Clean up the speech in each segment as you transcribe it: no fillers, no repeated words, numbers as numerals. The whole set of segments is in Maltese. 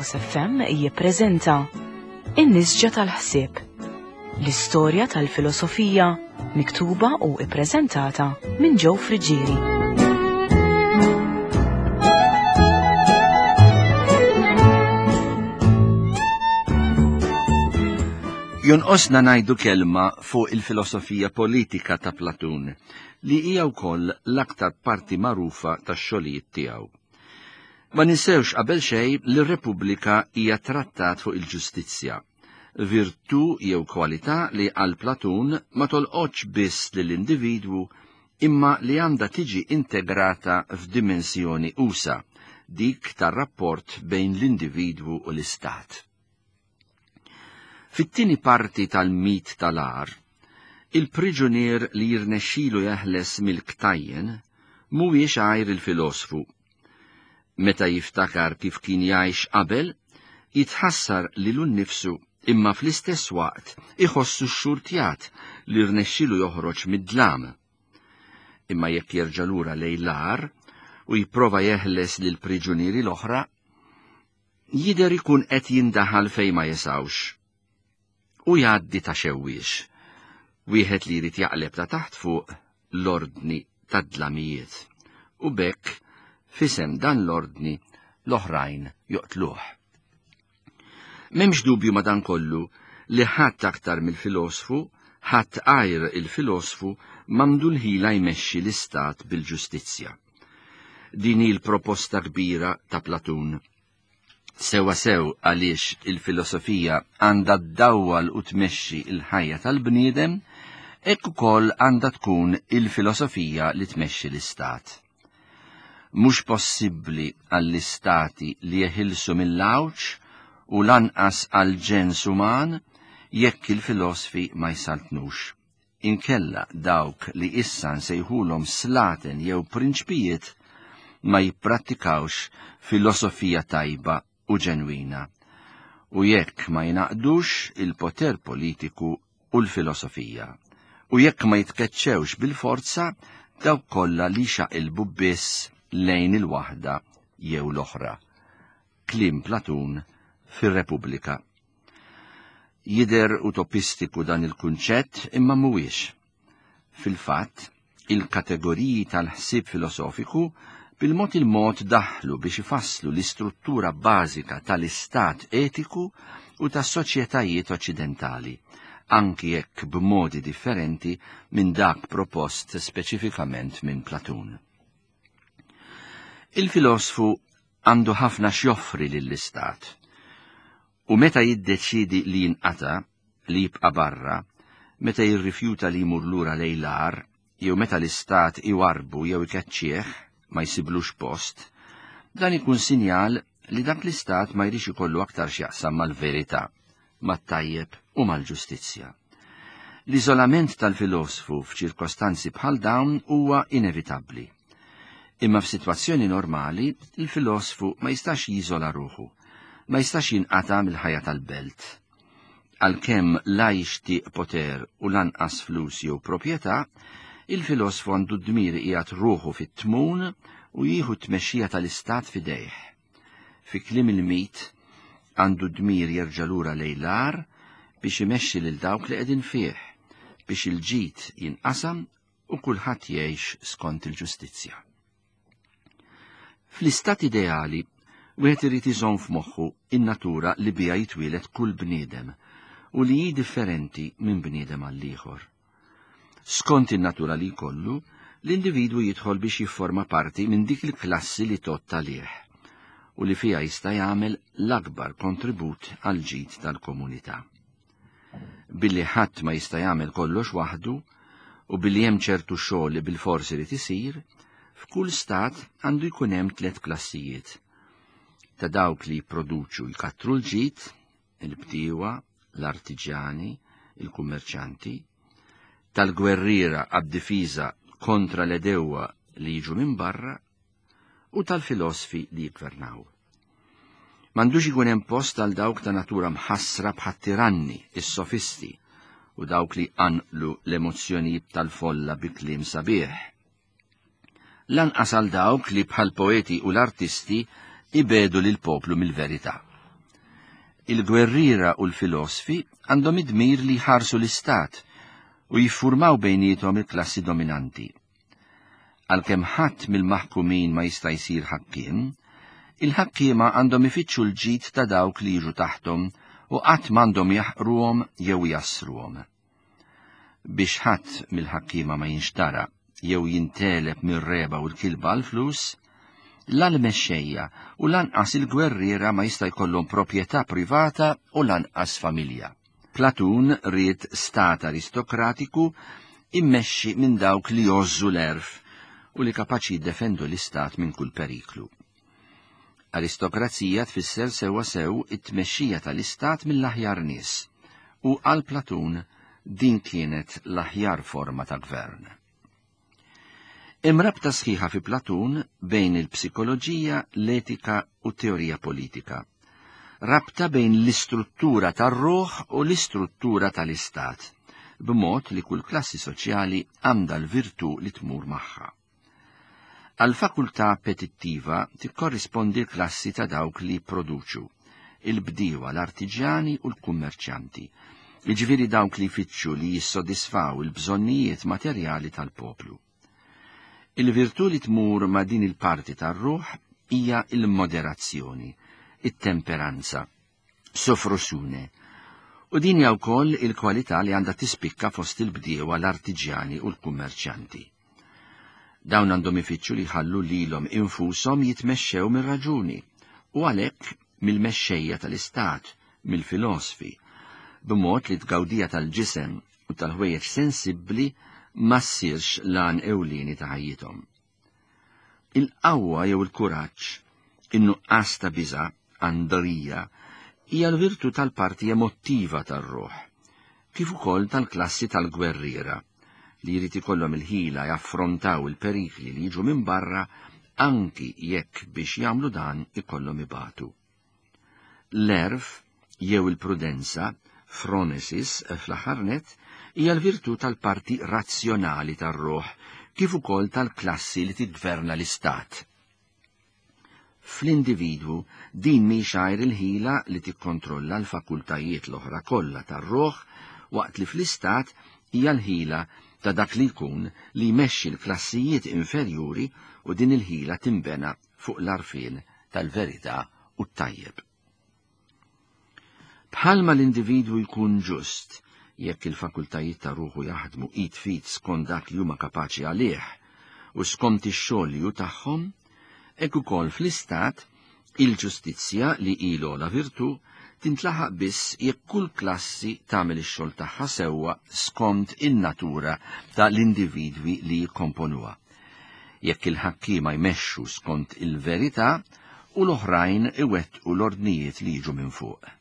Logos FM jippreżenta In-Nisġa tal-Ħsieb, l-istorja tal-filosofija miktuba u ippreżentata minn Joe Friggieri. Jonqosna ngħidu kelma fuq il-filosofija politika ta' Platun li hija wkoll l-aktar parti magħrufa tax-xogħlijiet tiegħu. Ma ninsewx qabel xejn li r-Repubblika hija trattat fuq il-ġustizzja, virtù jew kwalità li għal Platun ma tolqotx biss lill-individwu imma li għandha tiġi integrata f'dimensjoni usa', dik tar-rapport bejn l-individwu u l-istat. Fit-tieni parti tal-mit tal-għar, il-priġunier li jirnexxilu jeħles mill-ktajjen mhuwiex għajr il-filosfu. Meta jiftakar kif kien jgħix qabel, jitħassar lilu nnifsu imma fl-istess waqt iħossu xxurtjat li rnexxilu joħroġ mid-dlam. Imma jekk jerġa' lura lejn l-għar u jipprova jeħles lill-priġunieri l-oħra, jidher ikun qed jindaħal fejn ma jesgħux. U jgħaddi ta' xewwiex, wieħed li jrid jaqleb ta' taħt fuq l-ordni tad-dlamijiet, u b'hekk f'isem dan l-ordni l-oħrajn joqtluh. M'hemmx dubju madankollu li ħadd aktar mill-filosfu, ħadd għajr il-filosfu m'għandu l-ħila jmexxi l-istat bil-ġustizzja. Din hi l-proposta kbira ta' Platun. Sewwa sew għaliex il-filosofija għandha ddawwal u tmexxi l-ħajja tal-bniedem, hekk ukoll għandha tkun il-filosofija li tmexxi l-istat. Mhux possibbli għall-istati li jeħilsu mill-għawġ u lanqas għall-ġens uman jekk il-filosfi ma jsaltnux. Inkella dawk li issa nsejħulhom slaten jew prinċpijiet ma jipprattikawx filosofija tajba u ġenwina, u jekk ma jingħaqdux il-poter politiku u l-filosofija, u jekk ma jitkeċċewx bil-forza dawk kollha li jxaqilbu biss lejn il-waħda jew l-oħra. Kliem Platun fir-Repubblika. Jidher utopistiku dan il-kunċett imma mhuwiex. Fil-fatt, il-kategoriji tal-ħsieb filosofiku bil-mod il-mod daħlu biex ifasslu l-istruttura bażika tal-istat etiku u tas-soċjetajiet oċċidentali, anki jekk b'modi differenti minn dak propost speċifikament minn Platun. Il-filosfu għandu ħafna x'joffri lill-istat. U meta jiddeċiedi li jinqata', li jibqa' barra, meta jirrifjuta li jmur lura lejn l-għar, jew meta l-istat iwarrbu jew ikeċċih, ma jsiblux post, dan ikun sinjal li dak l-istat ma jridx ikollu aktar x'jaqsam mal-verità, mat-tajjeb u mal-ġustizzja. L-iżolament tal-filosfu f'ċirkostanzi bħal dawn huwa inevitabbli. Imma f'sitwazzjoni normali, il-filosfu ma jistax jiżola ruħu, ma jistax jinqata' mill-ħajja tal-belt. Għalkemm la jixtieq poter u lanqas flus jew proprjetà, il-filosfu għandu d-dmir iqiegħed ruħu fit-tmun u jieħu t-tmexxija tal-istat f'idejh. Fi kliem il-mit, għandu d-dmir jerġa' lura lejn l-għar biex imexxi lil dawk li qegħdin fih, biex il-ġid jinqasam u kulħadd jgħix skont il-ġustizzja. Fl-istat ideali, wieħed irid iżomm f'moħħu in-natura li biha jitwieled kull bniedem u li hi differenti minn bniedem għall-ieħor. Skont in-natura li jkollu, l-individwu jidħol biex jifforma parti minn dik il-klassi li tgħodd għalih u li fiha jista' jagħmel l-akbar kontribut għall-ġid tal-komunità. Billi ħadd ma jista' jagħmel kollox waħdu u billi hemm ċertu xogħol li bilfors irid isir, f'kull stat għandu jkun hemm tliet klassijiet. Ta' dawk li jipproduċu jkattru l-ġid, il-bdiewa, l-artiġjani, il-kummerċanti, tal-gwerriera għad-difiża kontra l-għedewwa li jiġu minn barra u tal-filosfi li jiggvernaw. M'għandux ikun hemm post għal dawk ta' natura mħassra bħat-tiranni, is-sofisti, u dawk li jqanqlu l-emozzjonijiet tal-folla bi kliem sabiħ. Lanqas għal dawk li bħall-poeti u l-artisti jbiegħdu lill-poplu mill-verità. Il-gwerriera u l-filosfi għandhom id-dmir li jħarsu l-istat u jiffurmaw bejniethom il-klassi dominanti. Għalkemm ħadd mill-maħkumin ma jista' jsir ħakkiem, il-ħakkiema għandhom ifittxu l-ġid ta' dawk li jiġu taħthom u qatt m'għandhom jaħqruhom jew jassruhom. Biex ħadd mill-ħakkiema ma jinxtara jew jinteleb mir-reba u l-kilba għall-flus, la l-mexxejja u lanqas il-gwerriera ma jista' jkollhom proprjetà privata u lanqas familja. Platun ried stat aristokratiku immexxi minn dawk li jgħożżu l-għerf u li kapaċi jiddefendu l-istat minn kull periklu. Aristokrazija tfisser sewwa sew it-tmexxija tal-istat mill-aħjar nies, u għal Platun din kienet l-aħjar forma ta' gvern. Hemm rabta sħiħa fi Platun bejn il-psikoloġija, l-etika u t-teorija politika. Rabta bejn l-istruttura tar-ruħ u l-istruttura tal-istat, b'mod li kull klassi soċjali għandha l-virtù li tmur magħha. Għall-fakultà appetittiva tikkorrispondi l-klassi ta' dawk li jipproduċu, il-bdiewa, l-artiġjani u l-kummerċjanti, jiġifieri dawk li jfittxu li jissodisfaw il-bżonnijiet materjali tal-poplu. Il-virtù li tmur ma' din il-parti tar-ruħ hija l-moderazzjoni, it-temperanza, sofrosune, u din hija wkoll il-kwalità li għandha tispikka fost il-bdiewa, l-artiġjani u l-kummerċjanti. Dawn għandhom ifittxu li jħallu lilhom infushom jitmexxew mir-raġuni u għalhekk mill-mexxejja tal-istat, mill-filosfi, b'mod li t-tgawdija tal-ġisem u tal-ħwejjeġ sensibbli ma ssirx l-għan ewlieni ta' ħajjithom. Il-qawwa jew il-kuraġġ, in-nuqqas ta' biża', andrija, hija l-virtù tal-parti emottiva tar-ruħ, kif ukoll tal-klassi tal-gwerriera, li jrid ikollhom il-ħila jaffrontaw il-perikli li jiġu minn barra anki jekk biex jagħmlu dan ikollhom ibatu. L-għerf jew il-prudenza, phronesis, fl-aħħar nett, hija l-virtù tal-parti razzjonali tar-ruħ kif ukoll tal-klassi li tiggverna l-istat. Fl-individwu din mhix għajr il-ħila li tikkontrolla l-fakultajiet l-oħra kollha tar-ruħ waqt li fl-istat hija l-ħila ta' dak li jkun li jmexxi l-klassijiet inferjuri u din il-ħila tinbena fuq l-għarfien tal-verità u t-tajjeb. Bħalma l-individwu jkun ġust jekk il-fakultajiet ta' ruħu jaħdmu id f'id skont dak li huma kapaċi għalih u skont ix-xogħol li hu tagħhom, hekk ukoll fl-istat il-ġustizzja li hi l-ogħla virtù tintlaħaq biss jekk kull klassi tagħmel ix-xogħol tagħha sewwa skont in-natura ta' l-individwi li jikkomponuha. Jekk il-ħakkiema jmexxu skont il-verità u l-oħrajn iwettqu l-ordnijiet li jiġu minn fuq.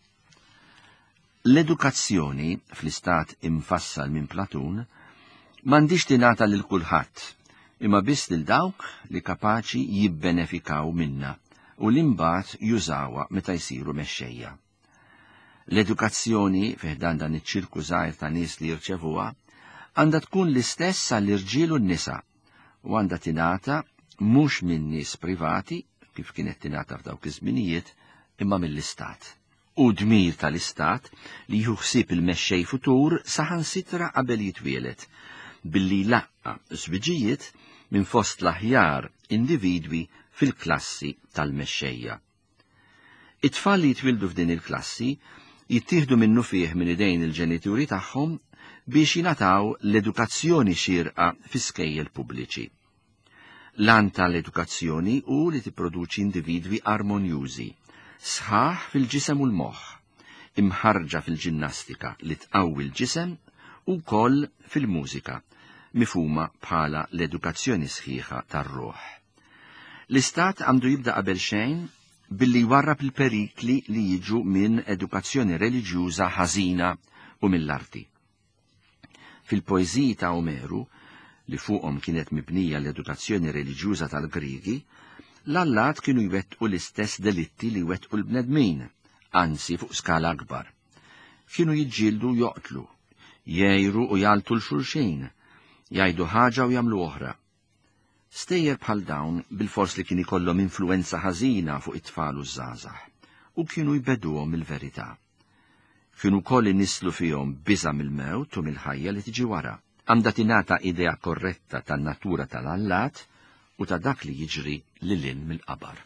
L-edukazzjoni, fl-istat imfassal minn Platun, m'għandhiex tingħata lil kulħadd, imma biss lil dawk li kapaċi jibbenefikaw minnha u li mbagħad jużawha meta jsiru mexxejja. L-edukazzjoni, fi ħdan dan iċ-ċirku żgħir ta' nies li jirċevuha, għandha tkun l-istess għall-irġiel u n-nisa u għandha tingħata mhux minn nies privati, kif kienet tingħata f'dawk iż-żminijiet, imma mill-Istat. Hu dmir tal-Istat li jieħu ħsieb il-mexxej futur saħansitra qabel jitwieled, billi jlaqqa' żwiġijiet minn fost l-aħjar individwi fil-klassi tal-mexxejja. It-tfal li jitwieldu f'din il-klassi jittieħdu minnufih minn idejn il-ġenituri tagħhom biex jingħataw l-edukazzjoni xierqa fi skejjel pubbliċi. L-għan tal-edukazzjoni hu li tipproduċi individwi armonjużi, sħaħ fil-ġisem u l-moħħ, imħarrġa fil-ġinnastika li tqawwi l-ġisem u wkoll fil-mużika, mifhuma bħala l-edukazzjoni sħiħa tar-ruħ. L-Istat għandu jibda qabel xejn billi jwarrab il-perikli li jiġu minn edukazzjoni reliġjuża ħażina u mill-arti. Fil-poeżiji ta' Omeru, li fuqhom kienet mibnija l-edukazzjoni reliġjuża tal-Griegi, l-allat kienu jwettqu l-istess delitti li jwettqu l-bnedmin, anzi fuq skala akbar. Kienu jiġġieldu u joqtlu, jgħiru u jgħaltu 'l xulxin, jgħidu ħaġa u jagħmlu oħra. Stejjer bħal dawn bilfors li kien ikollhom influwenza ħażina fuq it-tfal u ż-żgħażagħ. u kienu jbeduhom mill-verità. Kienu wkoll inisslu fihom biża' mill-mewt u mill-ħajja li tiġi wara. Għandha tingħata idea korretta tan-natura tal-allat u ta' dak li jiġri lil hinn mill-qabar.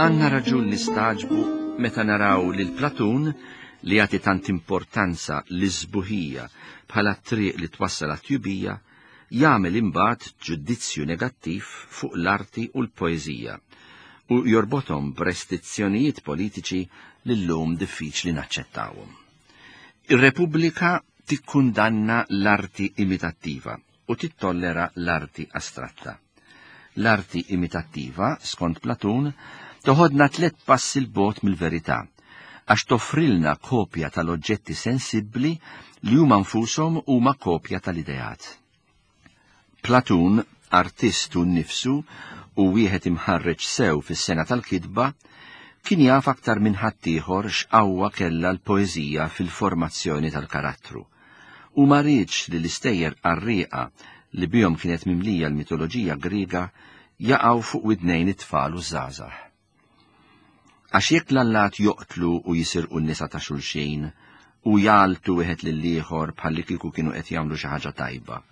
Għandna raġun nistagħġbu meta naraw lil Platun li jagħti tant importanza lis-sbuħija bħala t-triq li twassal għat-tjubija, jagħmel imbagħad ġudizzju negattiv fuq l-arti u l-poeżija u jorbothom b'restizzjonijiet politiċi li llum diffiċli naċċettawhom. Ir-Repubblika tikkundanna l-arti imitattiva u tittollera l-arti astratta. L-arti imitattiva, skont Platun, toħodna tlett passi 'l bogħod mill-verità, għax toffrilna kopja tal-oġġetti sensibbli li huma nfushom huma kopja tal-ideat. Platun, artist hu nnifsu u wieħed imħarreġ sew fis-sengħa tal-kitba, kien jaf aktar minn ħaddieħor x'qawwa kellha l-poeżija fil-formazzjoni tal-karattru. U ma riedx li l-istejjer qarrieqa li bihom kienet mimlija l-mitoloġija Griega jaqgħu fuq widnejn it-tfal u ż-żgħażagħ. Għax jekk l-allat joqtlu u jisirqu n-nisa ta' xulxin u jgħalltu wieħed lill-ieħor bħallikieku kienu qed jagħmlu xi ħaġa tajba,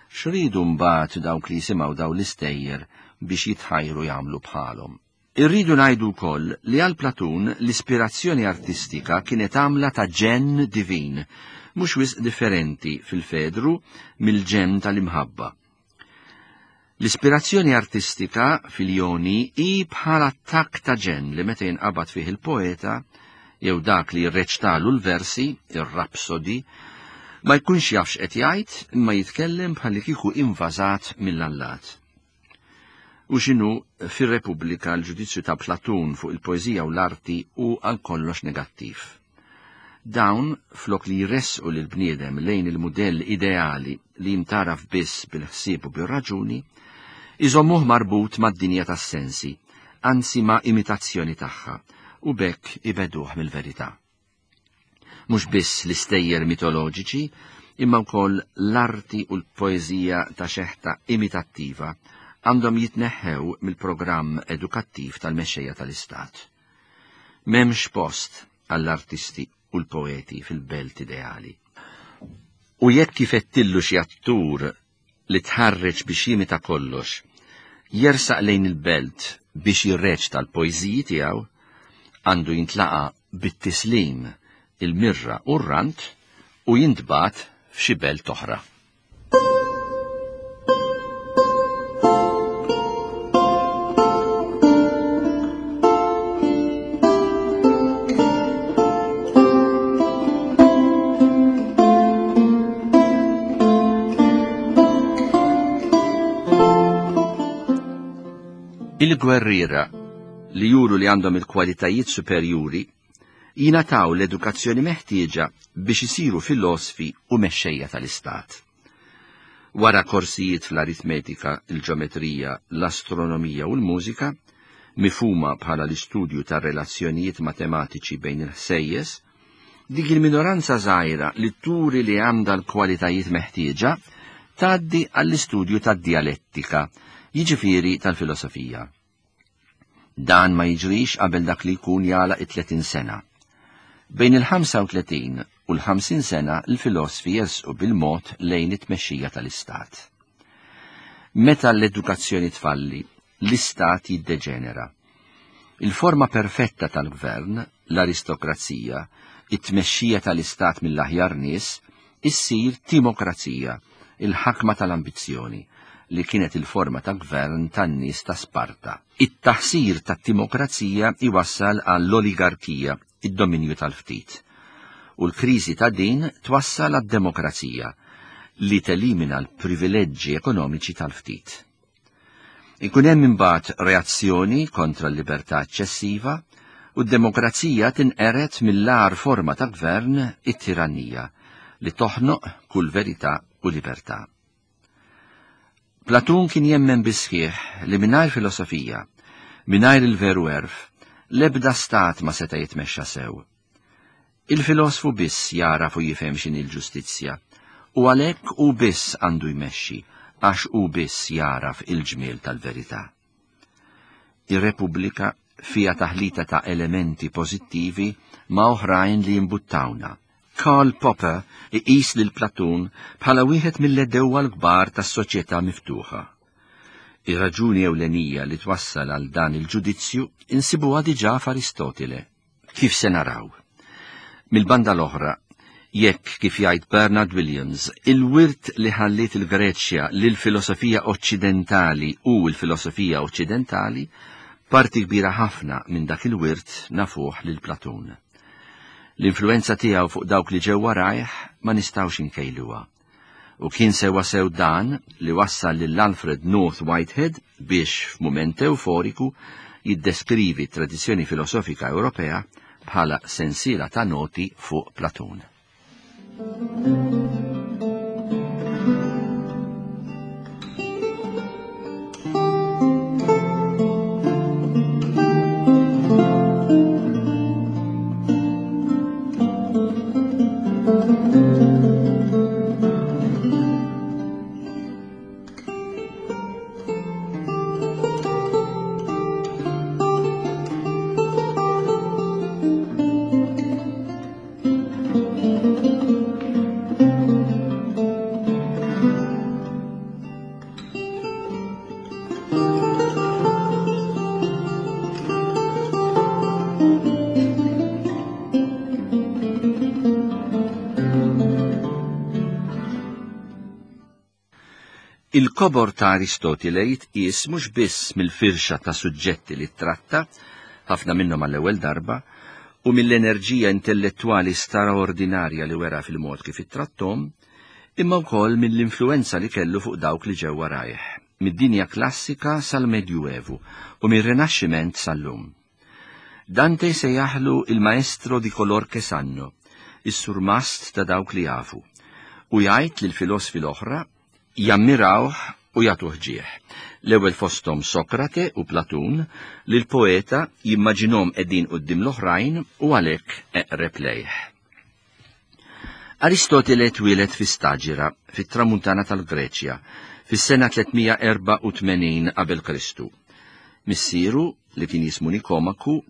x'riedu mbagħad dawk li jisimgħu dawn l-istejjer biex jitħajru jagħmlu bħalhom? Irridu ngħidu wkoll li għal Platun l-ispirazzjoni artistika kienet għamla ta' ġenn divin, mhux wisq differenti fil-Fedru mill-ġenn tal-imħabba. L-ispirazzjoni artistika fil-Joni hi bħal attakk ta' ġenn li meta jinqabad fih il-poeta jew dak li jirreċtalu l-versi, ir-rapsodi, ma jkunx jaf x'qed jgħid imma jitkellem bħallikieku invażat mill-allat. U x'inhu, fir-Repubblika l-ġudizzju ta' Platun fuq il-poeżija u l-arti hu għal kollox negattiv. Dawn, flok li jressqu lill-bniedem lejn il-mudell ideali li jintgħaraf biss bil-ħsieb u bir-raġuni, iżommuh marbut mad-dinja tas-sensi, anzi ma' imitazzjoni tagħha, u b'hekk ibegħduh mill-verità. Mhux biss l-istejjer mitoloġiċi, imma wkoll l-arti u l-poeżija ta' xeħta imitattiva għandhom jitneħħew mill-programm edukattiv tal-mexxejja tal-Istat. M'hemmx post għall-artisti u l-poeti fil-belt ideali. U jekk ifettillu xi attur li tħarreġ biex jimita kollox, jersaq lejn il-belt biex jirreċta l-poeżiji tiegħu, għandu jintlaqa' bit-tislim, il-mirra u r-rant u jintbagħat f'xi belt oħra. Il-gwerriera li juru li għandhom il-kwalitajiet superjuri jingħataw l-edukazzjoni meħtieġa biex isiru filosfi u mexxejja tal-istat. Wara korsijiet fl-aritmetika, il-ġometrija, l-astronomija u l-mużika, mifhuma bħala l-istudju tar-relazzjonijiet matematiċi bejn il-ħsejjes, dik il-minoranza żgħira li turi li għandha l-kwalitajiet meħtieġa tgħaddi għall-istudju tad-djalettika, jiġifieri tal-filosofija. Dan ma jiġrix qabel dak li jkun jagħlaq it-30 sena. Bejn il-35 u l-50 sena l-filosfi jersqu bil-mod lejn it-tmexxija tal-Istat. Meta l-edukazzjoni tfalli, l-Istat jiddeġenera. Il-forma perfetta tal-gvern, l-aristokrazija, it-tmexxija tal-Istat mill-aħjar nies, issir timokrazija, il-ħakma tal-ambizzjoni, li kienet il-forma ta' gvern tan-nies ta' Sparta. It-taħsir tat-timokrazija jwassal għall-oligarkija, id-dominju tal-ftit. U l-kriżi ta' din twassal għad-demokrazija, li telimina l-privileġġi ekonomiċi tal-ftit. Ikun hemm imbagħad reazzjoni kontra l-libertà eċċessiva u d-demokrazija tinqered mill-agħar forma ta' gvern, it-tirannija, li toħnoq kull verità u libertà. Platun kien jemmen bis-sħiħ li mingħajr filosofija, Mingħajr il-veru għerf, l-ebda stat ma seta' jitmexxa sew. Il-filosfu biss jagħraf u jifhem x'inhi l-ġustizzja, u għalhekk hu biss għandu jmexxi għax hu biss jagħraf il-ġmiel tal-verità. Ir-Repubblika fiha taħlita ta' elementi pożittivi ma' oħrajn li jimbuttawna. Karl Popper iqis lil Platun bħala wieħed mill-għedewwa l-kbar tas-soċjetà miftuħa. Ir-raġuni ewlenija li twassal għal dan il-ġudizzju insibuha diġà f'Aristotile. Kif se naraw. Mill-banda l-oħra, jekk, kif jgħid Bernard Williams, il-wirt li ħalliet il-Greċja lill-filosofija Oċċidentali hu l-filosofija Oċċidentali, parti kbira ħafna minn dak il-wirt nafuh lil Platun. L-influwenza tiegħu fuq dawk li ġew warajh ma nistgħux inkejluha. U kien sewwasew dan li wassal lil Alfred North Whitehead biex, f'mument ewforiku, jiddeskrivi t-tradizzjoni filosofika Ewropea bħala sensiela ta' noti fuq Platun. Il-kobor ta' Aristotile jitqies mhux biss mill-firxa ta' suġġetti li ttratta, ħafna minnhom għall-ewwel darba, u mill-enerġija intellettwali straordinarja li wera fil-mod kif ittratthom, imma wkoll mill-influwenza li kellu fuq dawk li ġew warajh, mid-dinja klassika sal-Medjuevu u mir-Rinaxximent sal-lum. Dante sejjaħlu il-maestro di color che sanno, is-surmast ta' dawk li jafu, u jgħid li l-filosfi l-oħra jammirawh u jagħtuh ġieħ. L-ewwel fosthom Sokrate u Platun li l-poeta jimmaġinhom qegħdin quddiem l-oħrajn u għalhekk eqreb lejh. Aristotile twieled fi Staġira, fit-tramuntana tal-Greċja, fis-sena 384 qabel Kristu. Missieru, li kien jismu Nikomaku,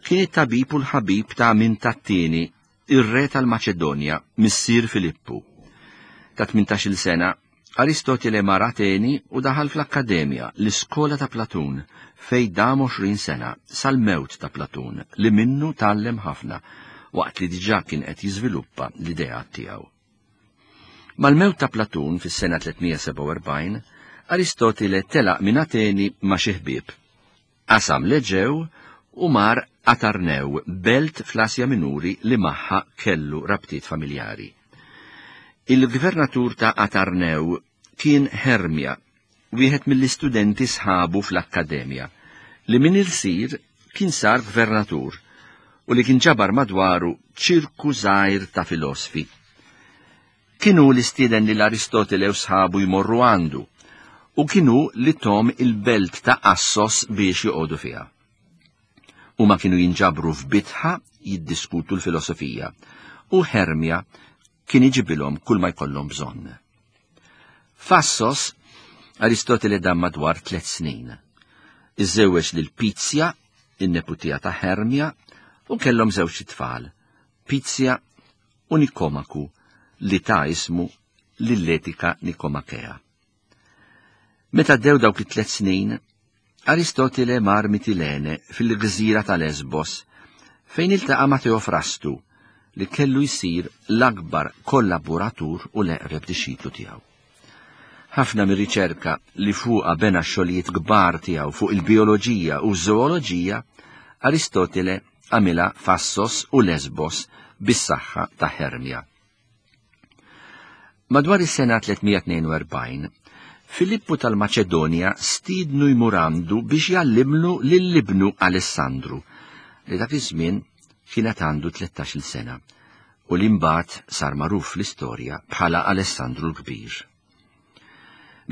kien it-tabib u l-ħabib ta' Aminta t-tieni, ir-re tal-Maċedonja, missier Filippu. Ta' 18-il sena, Aristotile mar Ateni u daħal fl-Akkademja, l-iskola ta' Platun, fejn dam 20 sena, sal-mewt ta' Platun, li minnu tgħallem ħafna, waqt li diġà kien qed jiżviluppa l-ideat tiegħu. Mal-mewt ta' Platun fis-sena 347, Aristotile telaq minn Ateni ma' xi ħbieb. Qasam l-Eġew u mar Atarnew, belt fl-Asja Minuri li magħha kellu rabtiet familjari. Il-gvernatur ta' Atarnew kien Hermja, wieħed mill-istudenti sħabu fl-akkademja, li minn ilsir kien sar gvernatur u li kien ġabar madwaru ċirku żgħir ta' filosfi. Kien hu li stieden lil Aristotele u sħabu jmorru għandu, u kien hu li thom il-belt ta' Assos biex joqogħdu fiha. Huma kienu jinġabru f'bitħa jiddiskutu l-filosofija, u Hermja kien iġibilhom kull ma jkollhom bżonn. F'Assos, Aristotele dam madwar tlet snin. Iżżewweġ lil Pizja, in-neputija ta' Hermja, u kellhom żewġ itfal, Pizja u Nikomaku li ta ismu lill-etika Nikomakea. Meta għaddew dawk it-tlet snin, Aristotile mar Mitilene fil-gżira ta' Lesbos fejn iltaqa' ma' Teofrastu li kellu jsir l-akbar kollaboratur u l-eqreb dixxiplu tiegħu. Ħafna mir-riċerka li fuqha bena x-xogħlijiet kbar tiegħu fuq il-bijoloġija u ż-żooloġija, Aristotile għamilha f'Assos u Lesbos bis-saħħa ta' Hermja. Madwar is-sena 342, Filippu tal-Maċedonja stiednu jmur għandu biex jgħallimlu lil ibnu Alessandru, li dak iż-żmien kienet għandu 13-il sena. u li mbagħad sar magħruf fl-istorja bħala Alessandru l-Kbir.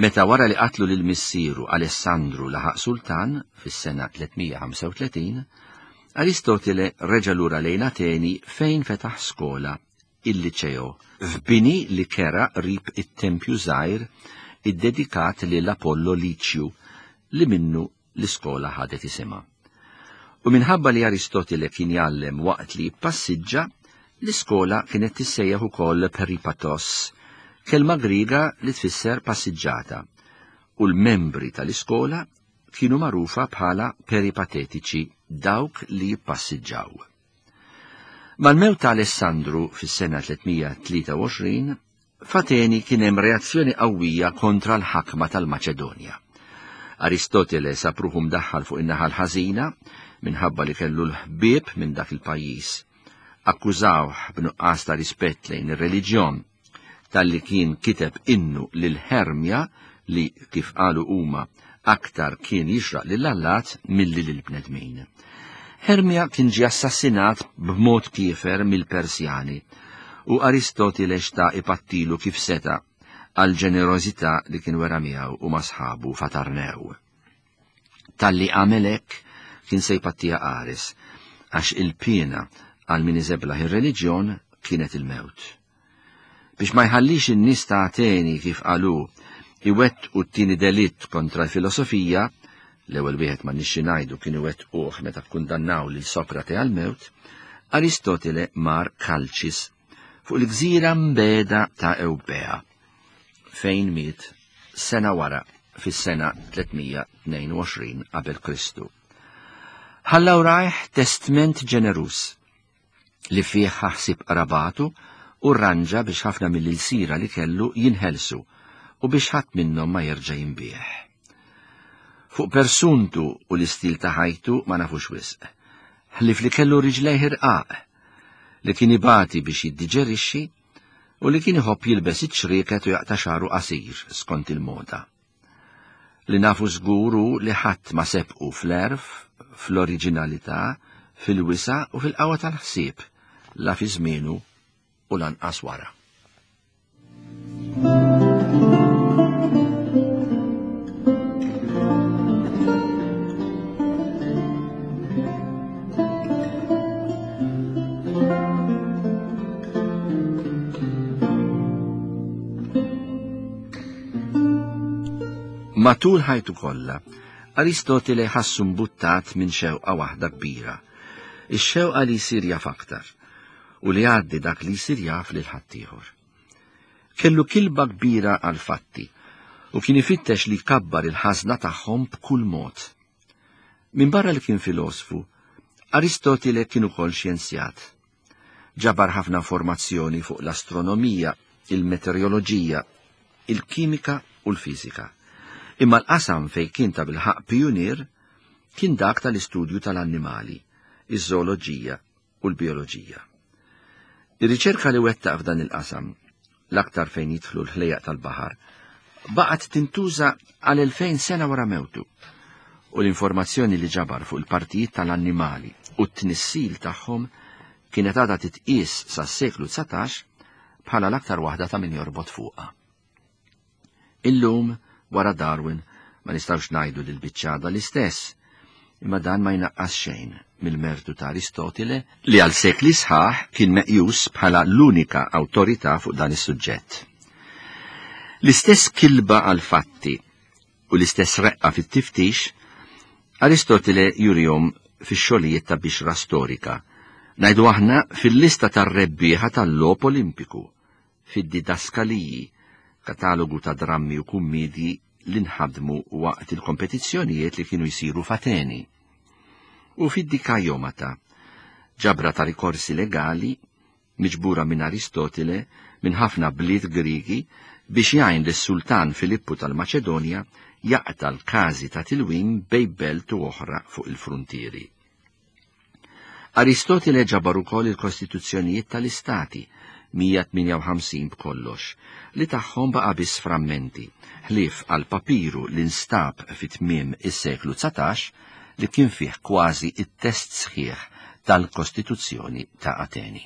Meta wara li qatlu lil missieru Alessandru laħaq sultan fis-sena 335, Aristotele reġa' lura lejn Ateni fejn fetaħ skola, il-Liċeo, f'bini li kera qrib it-tempju żgħir iddedikat lil Apollo Liċju li minnu l-iskola ħadet isimha. U minħabba li Aristotele kien jgħallem waqt li jippassiġġa, l-iskola kienet tissejjaħ ukoll peripatos, kelma Griega li tfisser passiġġata, u l-membri tal-iskola kienu magħrufa bħala peripatetiċi, dawk li jippassiġġaw. Mal-mewt ta' Alessandru fis-sena 323, F'Ateni kien hemm reazzjoni qawwija kontra l-ħakma tal-Maċedonja. Aristotele sab ruħu mdaħħal fuq in-naħa l-ħażina minħabba li kellu l-ħbieb minn dak il-pajjiż. Akkużawh b'nuqqas ta' rispett lejn ir-reliġjon talli kien kiteb innu lil Hermja li, kif qalu huma, aktar kien jixraq lill-allat milli lill-bnedmin. Hermja kien ġie assassinat b'mod kiefer mill-Persjani u Aristotile xtaq ipattilu kif seta' għall-ġenerożità li kien wera miegħu u ma' sħabu f'Atarnew. Talli għamel hekk kien se jpattiha qares, għax il-piena għal min iżeblaħ ir-reliġjon kienet il-mewt. Biex ma jħallix in-nies ta' Ateni kif qalu iwettqu t-tieni delitt kontra l-filosofija, l-ewwel wieħed ma nixxi ngħidu kien iwettquh meta kkundannaw lil Sokrate għall-mewt, Aristotele mar Kalċis fuq il-gżira mbeda ta' Ewbea, fejn miet sena wara fis-sena 322 qabel Kristu. Ħalla wrajh testment ġeneruż li fih ħa ħsieb qrabatu u rranġa biex ħafna mill-ilsira li kellu jinħelsu u biex ħadd minnhom ma jerġa' jinbiegħ. Fuq persuntu u l-istil ta' ħajtu ma nafux wisq, ħlief li kellu riġlejh irqaq, li kien ibati biex jiddiġerixxi u li kien iħobb jilbes iċ-ċrieket u jaqta' xagħru qasir skont il-moda. Li nafu żgur hu li ħadd ma sebqu fl-għerf, fl-oriġinalità, fil-wisa' u fil-qawwa tal-ħsieb, la fi żmienu u lanqas wara. Matul ħajtu kollha, Aristotele ħassu mbuttat minn xewqa waħda kbira, ix-xewqa li jsir jaf aktar u li jgħaddi dak li jsir jaf lil ħaddieħor. Kellu kilba kbira għall-fatti u kien ifittex li jkabbar il-ħażna tagħhom b'kull mod. Minbarra li kien filosfu, Aristotile kien ukoll xjenzjat. Ġabar ħafna informazzjoni fuq l-astronomija, il-meteoroloġija, il-kimika u l-fiżika. Imma l-qasam fejn kien tabilħaqq pijunier kien dak tal-istudju tal-annimali, iż-żooloġija u l-bijoloġija. Ir-riċerka li wettaq f'dan il-qasam, l-aktar fejn jidħlu l-ħlejjaq tal-baħar, baqgħet tintuża għal 2000 sena wara mewtu u l-informazzjoni li ġabar fuq il-partijiet tal-annimali u t-tnissil tagħhom kienet għadha titqies sas-seklu 19 bħala l-aktar waħda ta' min jorbot fuqha. Illum, wara Darwin, ma nistgħux ngħidu li l-biċċa għadha l-istess, imma dan ma jnaqqas xejn mill-mertu ta' Aristotile li għal sekli sħaħ kien meqjus bħala l-unika awtorità fuq dan is-suġġett. L-istess kilba għall-fatti u l-istess reqqa fit-tiftix Aristotile jurihom fix-xogħlijiet ta' bixra storika, ngħidu aħna fil-lista tar-rebbieħa tal-Logħob Olimpiku, fid-Didaskaliji, katalogu ta' drammi u kummiedji li nħadmu waqt il-kompetizzjonijiet li kienu jsiru f'Ateni, u fid-Dikaiomata, ġabra ta' rikorsi legali miġbura minn Aristotile minn ħafna bliet Griegi biex jgħin lis-Sultan Filippu tal-Maċedonja jaqta' l-każi ta' tilwim bejn belt u oħra fuq il-fruntieri. Aristotile ġabar ukoll il-kostituzzjonijiet tal-istati, 158 b'kollox, li tagħhom baqa' biss frammenti, ħlief għal papiru li nstab fi tmiem is-seklu 19 li kien fih kważi t-test sħiħ tal-Kostituzzjoni ta' Ateni.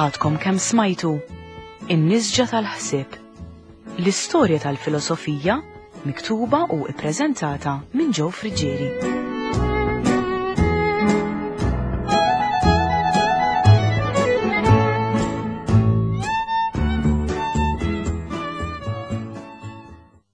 Għadkom kemm smajtu In-nisġa tal-ħsieb. L-istorja tal-filosofija miktuba u ippreżentata minn Joe Friggieri.